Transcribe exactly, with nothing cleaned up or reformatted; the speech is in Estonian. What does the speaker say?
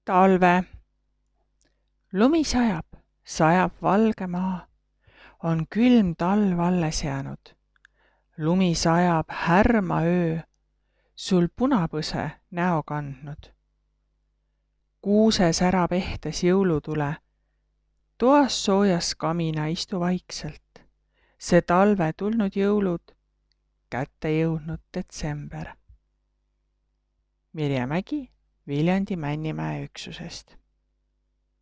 Talve. Lumi sajab, sajab valge maa. On külm talv alles jäänud. Lumi sajab härma öö, sul punapõse näo kandnud. Kuuse särab ehtes jõulutule. Toas soojas kamina istu vaikselt. See talve tulnud jõulud, kätte jõudnud detsember. Mirje Mägi Viljandi Männimäe üksusest.